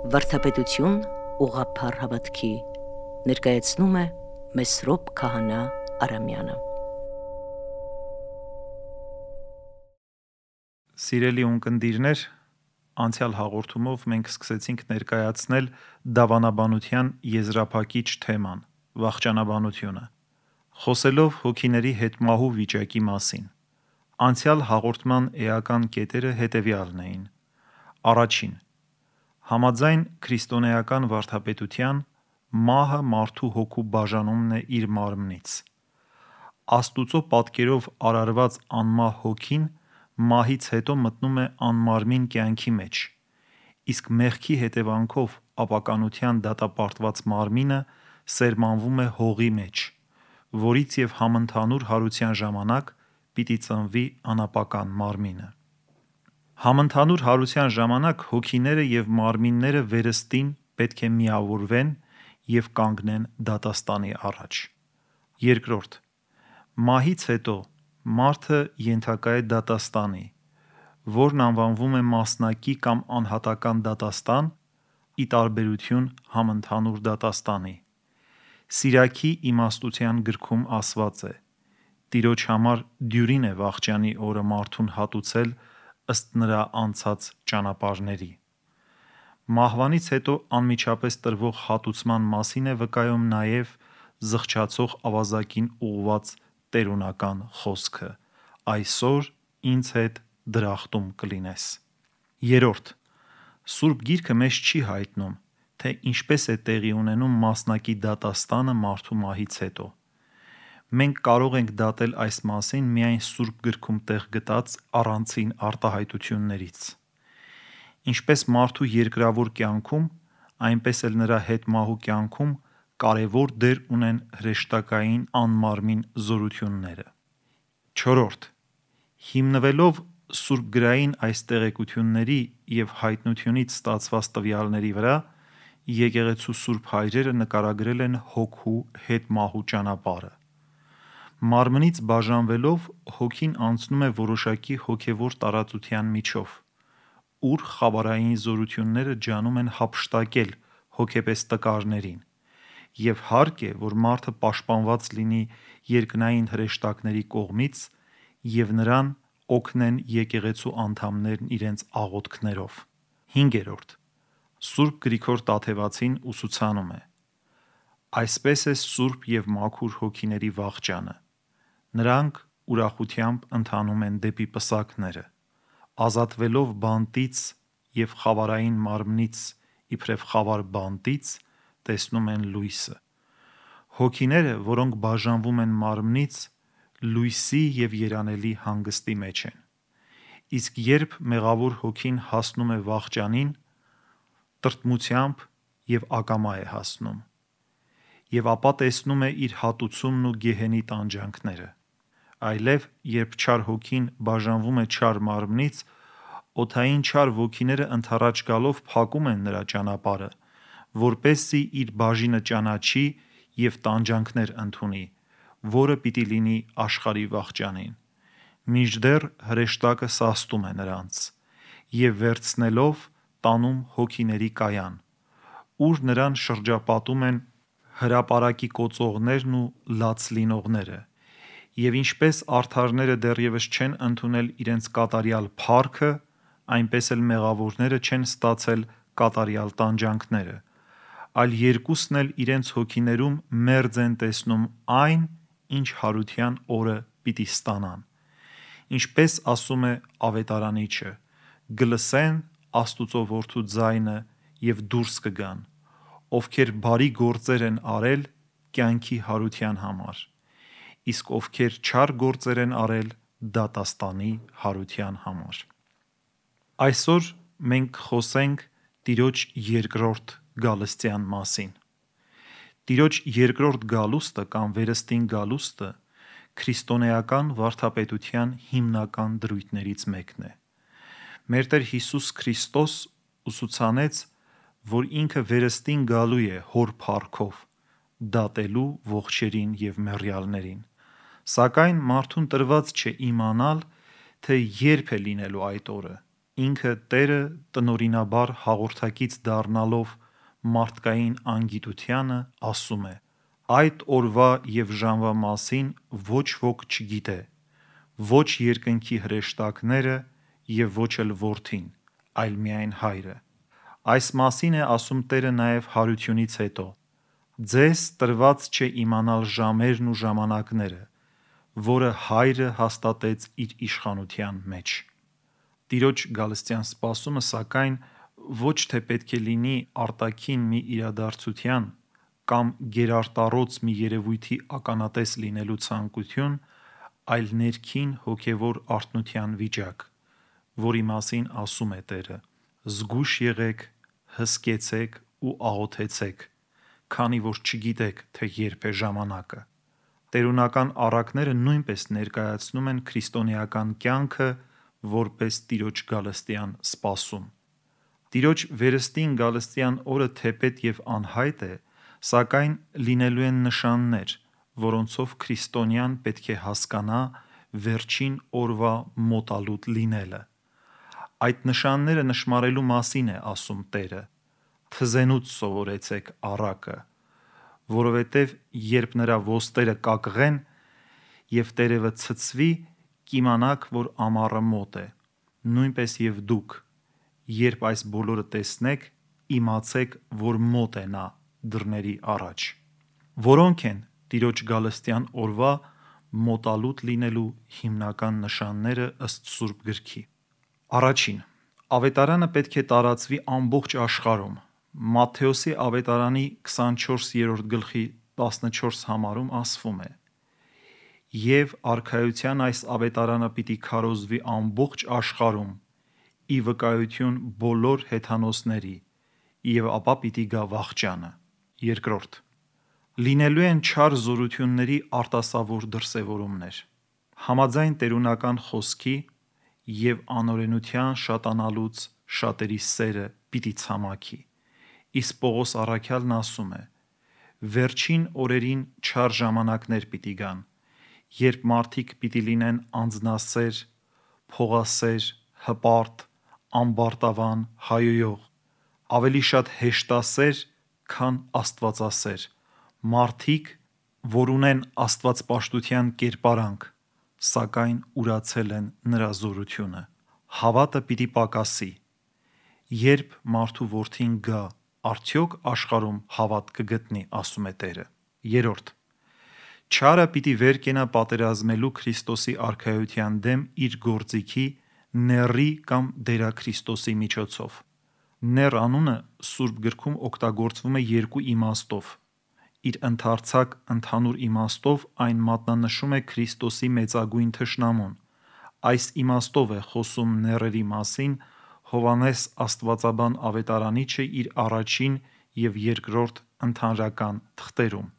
Վարդապետություն ուղղափառ հավատքի ներկայացնում է Մեսրոպ Քահանա Արամյանը։ Սիրելի ունկնդիրներ, անցյալ հաղորդումով մենք սկսեցինք ներկայացնել դավանաբանության եզրափակիչ թեման՝ վախճանաբանությունը, խոսելով հոգիների հետմահու վիճակի մասին։ Անցյալ հաղորդման էական կետերը հետևյալն էին. Առաջին. Համաձայն քրիստոնեական վարդապետության, մահը մարդու հոգու բաժանումն է իր մարմնից։ Աստուծո պատկերով արարված անմահ հոգին մահից հետո մտնում է անմարմին կյանքի մեջ, իսկ մեղքի հետևանքով ապականության դատապարտված մարմինը սերմանվում է հողի մեջ, որից և համընդհանուր հարության ժամանակ պիտի ծնվի անապական մարմինը։ Համընդհանուր հարության ժամանակ հոգիները և մարմինները վերստին պետք է միավորվեն և կանգնեն դատաստանի առաջ։ Երկրորդ. Մահից հետո մարդը ենթակա է դատաստանի, որն անվանվում է մասնակի կամ անհատական դատաստան, ի տարբերություն համընդհանուր դատաստանի։ Սիրակի իմաստության գրքում ասված է. «Տիրոջ համար դյուրին է վախճանի օրը մարդուն հատուցել ըստ նրա անցած ճանապարհների»։ Մահվանից հետո անմիջապես տրվող հատուցման մասին է վկայում նաև զղջացող ավազակին ուղղված տերունական խոսքը. «Այսօր ինձ հետ դրախտում կլինես»։ Երրորդ. Սուրբ Գիրքը մեզ չի հայտնում, թե ինչպես է տեղի ունենում մասնակի դատաստանը մարդու մահից հետո։ Մենք կարող ենք դատել այս մասին միայն Սուրբ Գրքում տեղ գտած առանցին արտահայտություններից։ Ինչպես մարդու երկրավոր կյանքում, այնպես էլ նրա հետմահու կյանքում կարևոր դեր ունեն հրեշտակային անմարմին զորությունները։ Չորրորդ. Հիմնվելով սուրբգրային այս տեղեկությունների և հայտնությունից ստացված տվյալների վրա, եկեղեցու սուրբ հայրերը նկարագրել են հոգու հետմահու ճանապարհը։ Մարմնից բաժանվելով հոգին անցնում է որոշակի հոգևոր տարածության միջով, ուր խավարային զորությունները ջանում են հափշտակել հոգեպես տկարներին, և հարկ է, որ մարդը պաշտպանված լինի երկնային հրեշտակների կողմից և նրան օգնեն եկեղեցու անդամներն իրենց աղոթքներով։ Հինգերորդ. Սուրբ Գրիգոր Տաթևացին ուսուցանում է. «Այսպես է սուրբ և մաքուր հոգիների վախճանը. նրանք ուրախությամբ ընթանում են դեպի պսակները, ազատվելով բանտից և խավարային մարմնից իբրև խավար բանտից, տեսնում են լույսը։ Հոգիները, որոնք բաժանվում են մարմնից, լույսի և երանելի հանգստի մեջ են։ Իսկ երբ մեղավոր հոգին հասնում է վախճանին, տրտմությամբ և ակամա է հասնում, և ապա տեսնում է իր հատուցումն ու գեհենի տանջանքները։ Այլև, երբ չար հոգին բաժանվում է չար մարմնից, օդային չար ոգիները ընդառաջ գալով փակում են նրա ճանապարհը, որպեսզի իր բաժինը ճանաչի և տանջանքներ ընդունի, որը պիտի լինի աշխարհի վախճանին, մինչդեռ հրեշտակը սաստում է նրանց, և վերցնելով տանում հոգիների կայան, ուր նրան շրջապատում են հրապարակի կոծողներն ու լաց լինողները, և ինչպես արդարները դեռևս չեն ընդունել իրենց կատարյալ փառքը, այնպես էլ մեղավորները չեն ստացել կատարյալ տանջանքները, այլ երկուսն էլ իրենց հոգիներում մերձ են տեսնում այն, ինչ հարության օրը պիտի ստանան։ Ինչպես ասում է Ավետարանիչը. «Կլսեն Աստուծո Որդու ձայնը և դուրս կգան, ովքեր բարի գործեր են արել կյանքի հարության համար, իսկ ովքեր չար գործեր են արել դատաստանի հարության համար»։ Այսօր մենք կխոսենք Տիրոջ երկրորդ գալստյան մասին։ Տիրոջ երկրորդ գալուստը կամ վերստին գալուստը քրիստոնեական վարդապետության հիմնական դրույթներից մեկն է։ Մեր Տեր Հիսուս Քրիստոս ուսուցանեց, որ ինքը վերստին գալու է Հոր փառքով՝ դատելու ողջերին և մեռյալներին, սակայն մարդուն տրված չէ իմանալ, թե երբ է լինելու այդ օրը, Ինքը Տերը տնօրինաբար հաղորդակից դառնալով մարդկային անգիտությանը ասում է. «Այդ օրվա և ժամվա մասին ոչ ոք չգիտե, ոչ երկնքի հրեշտակները և ոչ էլ Որդին, այլ միայն Հայրը»։ Այս մասին է ասում Տերը նաև հարությունից հետո. «Ձեզ տրված չէ իմանալ ժամերն ու ժամանակները, որը Հայրը հաստատեց իր իշխանության մեջ»։ Տիրոջ գալստյան սպասումը, սակայն, ոչ թե պետք է լինի արտաքին մի իրադարձության կամ գերարտառոց մի երևույթի ականատես լինելու ցանկություն, այլ ներքին հոգևոր արթնության վիճակ, որի մասին ասում է Տերը. «Զգույշ եղեք, հսկեցեք ու աղոթեցեք, քանի որ չգիտեք, թե երբ է ժամանակը»։ Տերունական առակները նույնպես ներկայացնում են քրիստոնեական կյանքը որպես Տիրոջ գալստյան սպասում։ Տիրոջ վերստին գալստյան օրը թեպետ և անհայտ է, սակայն լինելու են նշաններ, որոնցով քրիստոնյան պետք է հասկանա վերջին օրվա մոտալուտ լինելը։ Այդ նշանները նշմարելու մասին է ասում Տերը. «Թզենուց սովորեցեք առակը, որովհետև երբ նրա ոստերը կակղեն և տերևը ցցվի, կիմանաք, որ ամառը մոտ է։ Նույնպես և դուք, երբ այս բոլորը տեսնեք, իմացեք, որ մոտ է նա դռների առաջ»։ Որո՞նք են Տիրոջ գալստյան օրվա մոտալուտ լինելու հիմնական նշանները ըստ Սուրբ Գրքի։ Առաջին. Ավետարանը պետք է տարածվի ամբողջ աշխարհում։ Մատթեոսի ավետարանի 24-րդ գլխի 14 համարում ասվում է. «Եվ արքայության այս ավետարանը պիտի քարոզվի ամբողջ աշխարհում ի վկայություն բոլոր հեթանոսների, և ապա պիտի գա վախճանը»։ Երկրորդ. լինելու են չար զորությունների արտասովոր դրսևորումներ։ Համաձայն տերունական խոսքի «և անօրենության շատանալուց շատերի սերը պիտի ցամաքի», իսկ Պողոս առաքյալն ասում է. «Վերջին օրերին չար ժամանակներ պիտի գան, երբ մարդիկ պիտի լինեն անձնասեր, փողասեր, հպարտ, ամբարտավան, հայոյող, ավելի շատ հեշտասեր, քան աստվածասեր, մարդիկ, որ ունեն աստվածպաշտության կերպարանք, սակայն ուրացել են նրա զորությունը։ Հավատը պիտի պակասի։ Երբ մարդու որդին գա, արդյոք աշխարհում հավատ կգտնի, ասում է Տերը։ Երրորդ. չարը պիտի վեր կենա պատերազմելու Քրիստոսի արքայության դեմ իր գործիքի, նեռի կամ դերաքրիստոսի միջոցով։ Նեռ անունը Սուրբ Գրքում օգտագործվում է երկու իմաստով։ Իր ընդարձակ ընդհանուր իմաստով այն մատնանշում է Քրիստոսի մեծագույն թշնամուն։ Այս իմաստով է խոսում նեռերի մասին Հովհաննես աստվածաբան ավետարանիչը իր առաջին և երկրորդ ընդհանրական թղթերում։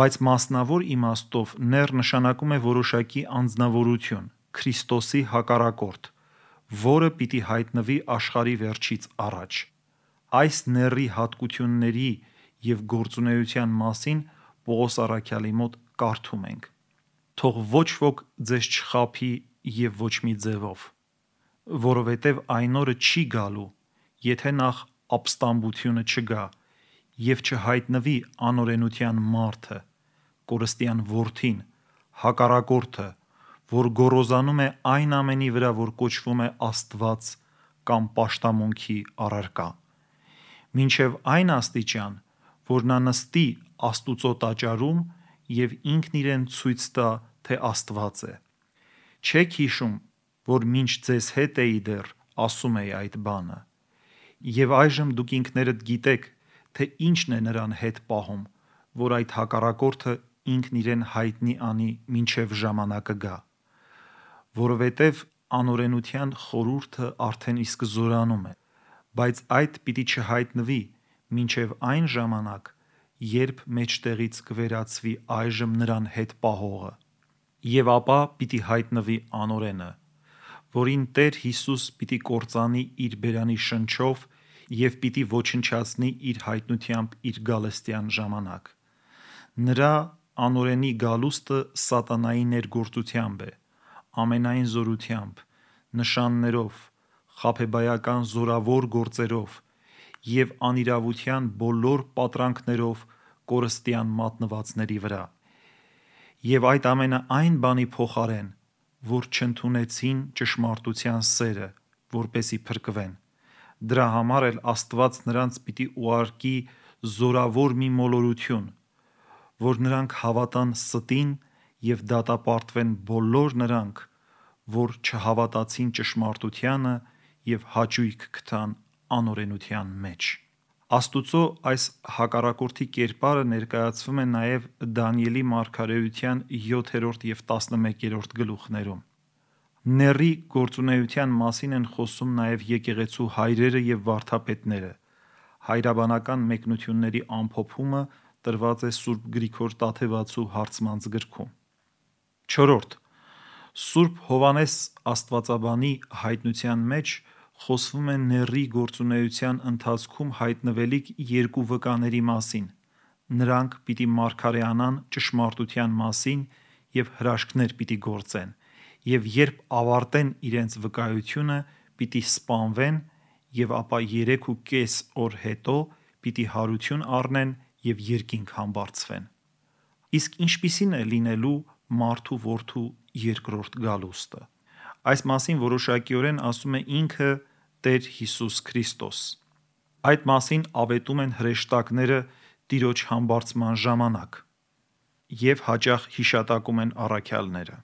Բայց մասնավոր իմաստով նեռ նշանակում է որոշակի անձնավորություն, Քրիստոսի հակառակորդ, որը պիտի հայտնվի աշխարհի վերջից առաջ։ Այս նեռի հատկությունների և գործունեության մասին Պողոս առաքյալի մոտ կարդում ենք. «Թող ոչ ոք ձեզ չխաբի և ոչ մի ձևով, որովհետև այն օրը չի գալու, եթե նախ ապստամբությունը չգա և չհայտնվի անօրենության մարդը, կորստյան որդին, հակառակորդը, որ գոռոզանում է այն ամենի վրա, որ կոչվում է Աստված կամ պաշտամունքի առարկա, մինչև այն աստիճան, որ նա նստի Աստուծո տաճարում և ինքն իրեն ցույց տա, թե Աստված է։ Չե՞ք հիշում, որ մինչ ձեզ հետ էի դեռ, ասում էի այդ բանը։ Եվ այժմ դուք ինքներդ գիտեք, թե ինչն է նրան հետ պահում, որ այդ հակառակորդը ինքն իրեն հայտնի անի մինչև ժամանակը գա։ Որովհետև անօրենության խորհուրդը արդեն իսկ զորանում է, բայց այդ պիտի չհայտնվի մինչև այն ժամանակ, երբ մեջտեղից կվերածվի այժմ նրան հետ պահողը, և ապա պիտի հայտնվի անօրենը, որին Տեր Հիսուս պիտի կործանի իր բերանի շնչով և պիտի ոչնչացնի իր հայտնությամբ իր գալստյան ժամանակ։ Նրա անօրենի գալուստը սատանայի ներգործությամբ է, ամենայն զորությամբ, նշաններով, խաբեբայական զորավոր գործերով և անիրավության բոլոր պատրանքներով կորստյան մատնվածների վրա, և այդ ամենը այն բանի փոխարեն, որ չընդունեցին ճշմարտության սերը, որպեսզի փրկվեն։ Դրա համար էլ Աստված նրանց պիտի ուղարկի զորավոր մի մոլորություն, որ նրանք հավատան ստին և դատապարտվեն բոլոր նրանք, որ չհավատացին ճշմարտությանը և հաճույք գտան անօրենության մեջ։ Աստուծո այս հակառակորդի կերպարը ներկայացվում է նաև Դանիելի մարգարեության 7 և 11 գլուխներում։ Նեռի գործունեության մասին են խոսում նաև եկեղեցու հայրերը և վարդապետները։ Հայրաբանական մեկնությունների ամփոփումը տրված է Սուրբ Գրիգոր Տաթևացու հարցմանց գրքում։ 4. Սուրբ Հովհաննես Աստվածաբանի հայտնության մեջ խոսվում է նեռի գործունեության ընթացքում հայտնվելիք երկու վկաների մասին։ Նրանք պիտի մարգարեանան ճշմարտության մասին և հրաշքներ պիտի գործեն, և երբ ավարտեն իրենց վկայությունը, պիտի սպանվեն, և ապա 3.5 օր հետո պիտի հարություն առնեն և երկինք համբարձվեն։ Իսկ ինչպիսի՞ն է լինելու մարդու որդու երկրորդ գալուստը։ Այս մասին որոշակիորեն ասում է ինքը Տեր Հիսուս Քրիստոս։ Այդ մասին ավետում են հրեշտակները Տիրոջ համբարձման ժամանակ և հաճախ հիշատակում են առաքյալները։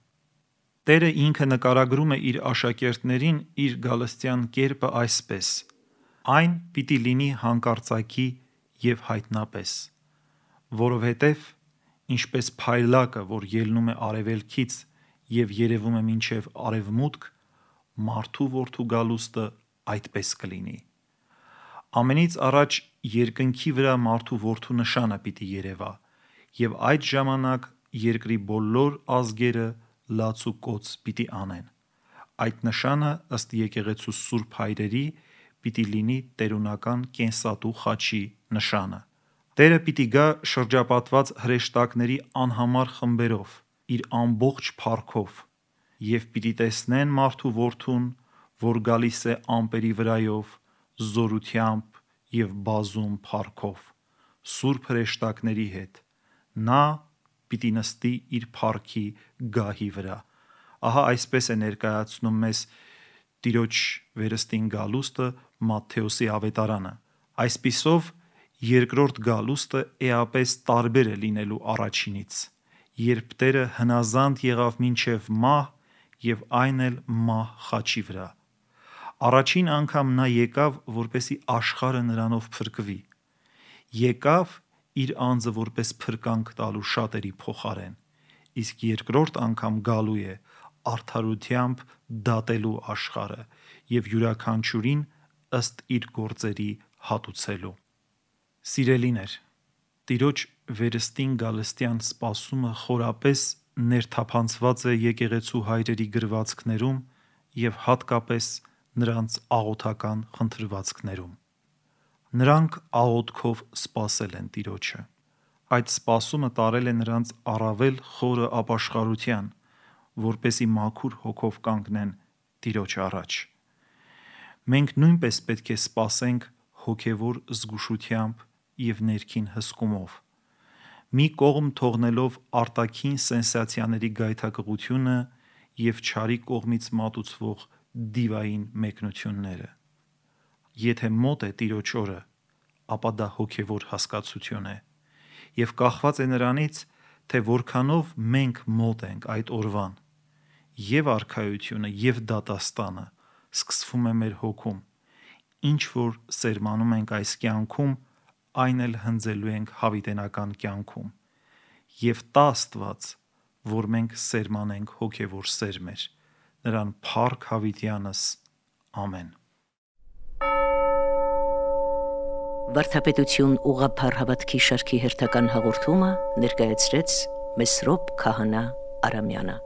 Տերը ինքը նկարագրում է իր աշակերտներին իր գալստյան կերպը այսպես. այն պիտի լինի հանկարծակի և հայտնապես, որովհետև ինչպես փայլակը, որ ելնում է արևելքից և երևում է մինչև արևմուտք, մարդու որդու գալուստը այդպես կլինի։ Ամենից առաջ երկնքի վրա մարդու որդու նշանը պիտի երևա, և այդ ժամանակ երկրի բոլոր ազգերը լաց ու կոծ պիտի անեն։ Այդ նշանը ըստ եկեղեցու սուրբ հայրերի պիտի լինի տերունական կենսատու խաչի նշանը։ Տերը պիտի գա շրջապատված հրեշտակների անհամար խմբերով, իր ամբողջ փառքով, և պիտի տեսնեն մարդու որդուն, որ գալիս է ամպերի վրայով, զորությամբ և բազում փառքով, սուրբ հրեշտակների հետ։ Նա պիտի նստի իր փառքի գահի վրա։ Ահա այսպես է ներկայացնում մեզ Տիրոջ վերստին գալուստը Մատթեոսի ավետարանը։ Այսպիսով երկրորդ գալուստը էապես տարբեր է լինելու առաջինից, երբ Տերը հնազանդ եղավ մինչև մահ և այն էլ մահ խաչի վրա։ Առաջին անգամ նա եկավ, որպեսզի աշխարհը նրանով փրկվի։ Եկավ իր անձը որպես փրկանք տալու շատերի փոխարեն, իսկ երկրորդ անգամ գալու է արդարությամբ դատելու աշխարհը և յուրաքանչյուրին ըստ իր գործերի հատուցելու։ Սիրելիներ, Տիրոջ վերստին գալստյան սպասումը խորապես ներթափանցված է եկեղեցու հայրերի գրվածքներում և հատկապես նրանց աղոթական խնդրվածքներում։ Նրանք աղոթքով սպասել են Տիրոջը։ Այդ սպասումը տարել է նրանց առավել խորը ապաշխարության, որպեսզի մաքուր հոգով կանգնեն Տիրոջ առաջ։ Մենք նույնպես պետք է սպասենք հոգևոր զգուշությամբ և ներքին հսկումով, մի կողմ թողնելով արտաքին սենսացիաների գայթակղությունը և չարի կողմից մատուցվող դիվային մեկնությունները։ Եթե մոտ է Տիրոջ օրը, ապա դա հոգևոր հասկացություն է և կախված է նրանից, թե որքանով մենք մոտ ենք այդ օրվան, և արքայությունը, և դատաստանը սկսվում է մեր հոգում, ինչ որ սերմանում ենք այս կյանքում, այն էլ հնձելու ենք հավիտենական կյանքում, և տա Աստված, որ մենք սերմանենք հոգևոր սերմեր, նրան փառք հավիտյանս, ամեն։ Վարդապետություն ուղղափառ հավատքի շարքի հերթական հաղորդումը ներկայացրեց Մեսրոպ Քահանա Արամյանը։